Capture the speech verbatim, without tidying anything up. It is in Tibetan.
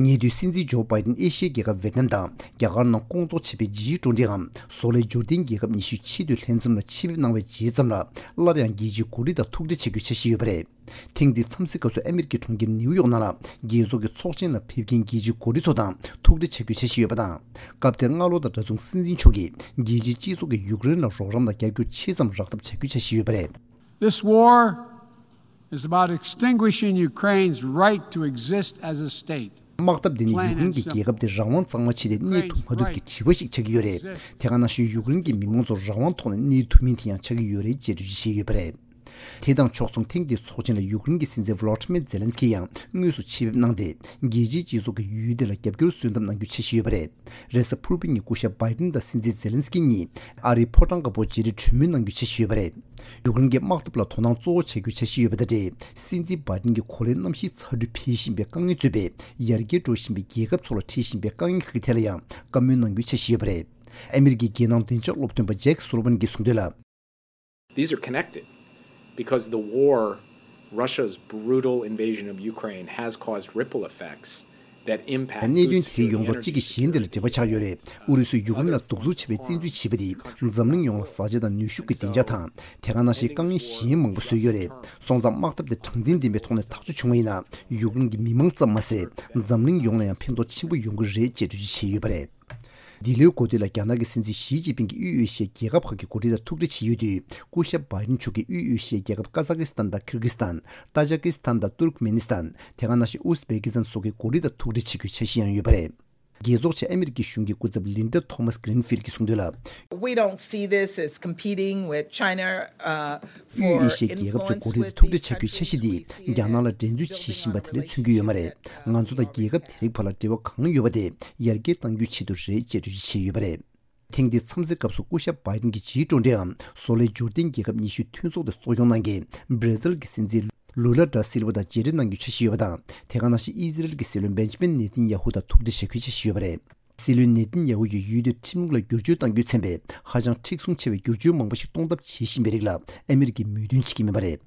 ཉེ་དུས་སྲིད་འཛིན་ཇོ་བྷའི་ཏིན་ཨེ་ཤི་ཡའི་རྒྱལ་ཁབ་ཝེ་ཏི་ནམ་དང་རྒྱ་གར་ནང་སྐོང་ཚོགས་བྱས་པའི་ཇི་ཀྲུའུ་ཏི་འམ་བཟོ་ལས་འབྱོར་ལྡན་རྒྱལ་ཁབ་ཉི་ཤུའི་ཆེས་མཐོའི་ལྷན་འཛོམས་ལ་ཆེད་ཕེབས་གནང་བའི་རྗེས་ཙམ་ལ། སླར་ཡང་རྒྱལ་སྤྱིའི་འགོ་ཁྲིད་དང་ཐུག་འཕྲད་བྱ་རྒྱུའི་འཆར་གཞི་ཡོད་པ་རེད། ཐེངས་འདིའི་འཚམས་གཟིགས་སྐབས་སུ་ཨ་མེ་རི་ཁའི་གྲོང་ཁྱེར་ནེའུ་ཡོག་ནང་ལ་རྒྱལ་ཚོགས་ཀྱི་ཚོགས་ཆེན་ལ་ཕེབས་མཁན་རྒྱལ་སྤྱིའི་འགོ་ཁྲིད་ཚོ་དང་ཐུག་འཕྲད་བྱ་རྒྱུའི་འཆར་གཞི་ཡོད་པ་དང་། སྐབས་དེར་སྔ་ལོ་དང་འདྲ་མཚུངས་སྲིད་འཛིན་མཆོག་གིས་རྒྱལ་སྤྱིའི་སྤྱི་ཚོགས་ཀྱིས་ཡུཀ་རེན་ལ་རོགས་རམ་དང་རྒྱབ་སྐྱོར་ཆེ་ཙམ་རག་ཐབས་བྱ་རྒྱུའི་འཆར་གཞི་ཡོད་པ་རེད། This war is about extinguishing Ukraine's right to exist as a state. དམག་འཐབ་འདི་ནི་ཡུཀ་རེན་གྱི་རྒྱལ་ཁབ་དེ་རང་དབང་གཙང་མ་ཕྱིན་ཏེ་གནས་ཐུབ་མ་ཐུབ་ཀྱི་དྲི་བ་ཞིག་ཆགས་ཀྱི་ཡོད་རེད། དེ་ག་ནང་བཞིན་ཡུཀ་རེན་གྱི་མི་མང་ཚོ་རང་དབང་ཐོག་ནས་གནས་ཐུབ་མིན་དེ་ཡང་ཆགས་ཀྱི་ཡོད་རེད་ཅེས་འགྲེལ་བརྗོད་བྱས་ཡོད་པ་རེད། དེ་དང་ཕྱོགས་མཚུངས་ཐེངས་འདིའི་ཚོགས་ཆེན་ལ་ཡུཀ་རེན་གྱི་སྲིད་འཛིན་ཝོ་ལོ་ཏི་མེར་ཛེ་ལན་སི་ཀི་ཡང་དངོས་སུ་ཆེད་ཕེབས་གནང་སྟེ། རྒྱལ་སྤྱིའི་སྤྱི་ཚོགས་ཀྱིས་ཡུལ་དེ་ལ་རྒྱབ་སྐྱོར་སོན་ཐབས་གནང་རྒྱུའི་འཆར་གཞི་ཡོད་པ་རེད། རེས་གཟའ་ཕུར་བུ་ཉིན་སྐུ་ཞབས་བྷའི་ཏིན་དང་སྲིད་འཛིན་ཛེ་ལན་སི་ཀི་གཉིས་ཨ་རིའི་ཕོ་བྲང་དཀར་པོར་བརྗེ་རེས་གྲོས་མོལ་གནང་རྒྱུའི་འཆར་གཞི་ཡོད་པ་རེད། ཡུཀ་རེན་གྱི་དམག་འཐབ་ལ་དོ་སྣང་གཙོ་བོ་བྱ་རྒྱུའི་འཆར་གཞི་ཡོད་པ་དང་འབྲེལ། སྲིད་འཛིན་བྷའི་ཏིན་གྱིས་གོ་ལའི་གནམ་གཤིས་ཚ་དྲོད་འཕེལ་བཞིན་པའི་དཀའ་ངལ་གཙོས་པའི་ཡར་རྒྱས་འགྲོ་བཞིན་པའི་རྒྱལ་ཁབ་ཚོ་ལ་འཕྲད་བཞིན་པའི་དཀའ་ངལ་ཁག་གི་ཐད་ལ་ཡང་བཀའ་མོལ་གནང་རྒྱུའི་འཆར་གཞི་ཡོད་པ་རེད། ཨ་མེ་རི་ཁའི་རྒྱལ་ནང་བདེ་འཇགས་སློབ་སྟོན་པ་ཇེཀ་སུ་ལི་ཝན་གྱིས་གསུངས་དོན་ལ། These are connected because the war, Russia's brutal invasion of Ukraine, has caused ripple effects that impact གནད་དོན་དེ་རིགས་ཡོངས་རྫོགས་གཅིག་གིས་གཞན་དེ་ལ་འབྲེལ་བ་ཆགས་ཡོད་རེད། ཨུ་རུ་སུས་ཡུཀ་རེན་ལ་གདུག་རྩུབ་ཆེ་བའི་བཙན་འཛུལ་བྱས་པ་དེས་འཛམ་གླིང་ཡོངས་ལ་བཟའ་བཅའ་དང་ནུས་ཤུགས་ཀྱི་བདེ་འཇགས་དང་། དེ་ག་ནང་བཞིན་དཀའ་ངལ་གཞན་མང་པོ་བཟོས་ཡོད་རེད། སོང་ཙང་དམག་འཐབ་དེ་དྲང་བདེན་ལྡན་པའི་ཐོག་ནས་ཐག་གཅོད་བྱུང་བ་ཡིན་ན། ཡུཀ་རེན་གྱི་མི་མང་ཙམ་མ་ཟད། འཛམ་གླིང་ཡོངས་ལ་ཡང་ཕན་ཐོགས་ཆེན་པོ་ཡོང་གི་རེད་ཅེས་འགྲེལ་བརྗོད་བྱས་ཡོད་པ་རེད། འདི་ལོའི་འགོ་སྟོད་ལ་རྒྱ་ནག་གི་སྲིད་འཛིན་ཞི་ཅིན་ཕིང་གིས་དབུས་ཨེ་ཤི་ཡའི་རྒྱལ་ཁབ་ཁག་གི་འགོ་ཁྲིད་དང་ཐུག་འཕྲད་བྱེད་ཡུལ་དུས། སྐུ་ཞབས་བྷའི་ཏིན་མཆོག་གིས་དབུས་ཨེ་ཤི་ཡའི་རྒྱལ་ཁབ་ཀ་ཛ་ཀི་སི་ཐན་དང་ཁིར་གི་སི་ཐན། ཏཱ་ཇ་ཀི་སི་ཐན་དང་ཏུར་ཀི་མེ་ནི་སི་ཐན། དེ་ག་ནང་བཞིན་ཨུ་སི་བེ་ཀི་སི་ཐན་སོགས་ཀྱི་འགོ་ཁྲིད་དང་ཐུག་འཕྲད་བྱེད་རྒྱུའི་འཆར་གཞི་ཡང་ཡོད་པ་རེད། རྒྱལ་ཚོགས་ཆེད་ཨ་མེ་རི་ཁའི་གཞུང་གི་སྐུ་ཚབ་ལིན་ཌ་ཐོ་མཱས་གྷི་རིན་ཕིལ་གྱིས་གསུངས་དོན་ལ། We don't see this as competing with China, uh, དབུས་ཨེ་ཤི་ཡའི་རྒྱལ་ཁབ་ཚོའི་འགོ་ཁྲིད་དང་ཐུག་འཕྲད་བྱ་རྒྱུའི་འཆར་གཞི་འདིས་རྒྱ་ནག་ལ་འགྲན་རྩོད་བྱེད་བཞིན་པ་དེ་འདྲ་མཚོན་གྱི་ཡོད་མ་རེད། ང་ཚོ་དང་རྒྱལ་ཁབ་དེ་རིགས་བར་ལ་འབྲེལ་བ་གང་ཡོད་པ་དེ་ཡར་རྒྱས་གཏང་རྒྱུའི་ཆེད་དུ་རེད་ཅེས་འགྲེལ་བརྗོད་བྱས་ཡོད་པ་རེད། ཐེངས་འདིའི་འཚམས་གཟིགས་སྐབས་སུ་སྐུ་ཞབས་བྷའི་ཏིན་གྱིས་ཇི་ཀྲུའུ་ཏི་འམ་བཟོ་ལས་འབྱོར་ལྡན་རྒྱལ་ཁབ་ཉི་ཤུའི་མཐུན་ཚོགས་དེ་གཙོ་སྐྱོང་གནང་མཁན་བྷར་ཛིལ་གྱི་སྲིད་འཛིན་ལུ་ལ་ད་སིལ་ཝ་དང་མཇལ་འཕྲད་གནང་རྒྱུའི་འཆར་གཞི་ཡོད་པ་དང་། དེ་ག་ནང་བཞིན་ཨི་ཟི་རེལ་གྱི་སྲིད་བློན་བེན་ཇི་མིན་ནེ་ཐན་ཡ་ཧུ་དང་ཐུག་འཕྲད་བྱ་རྒྱུའི་འཆར་གཞི་ཡོད་པ་རེད། སྲིད་བློན་ནེ་ཐན་ཡ་ཧུ་ཡིས་ཡུལ་དེར་ཁྲིམས་ལུགས་ལ་བསྒྱུར་བཅོས་གཏང་རྒྱུའི་མཚོན་པའི་ཧ་ཅང་མཁྲེགས་བཟུང་ཆེ་བའི་བསྒྱུར་བཅོས་མང་པོ་ཞིག་གཏོང་ཐབས་བྱེད་བཞིན་པའི་རིགས་ལ་ཨ་མེ་རི་ཁས་མོས་མཐུན་བྱེད་ཀྱི་མེད་པ་རེད།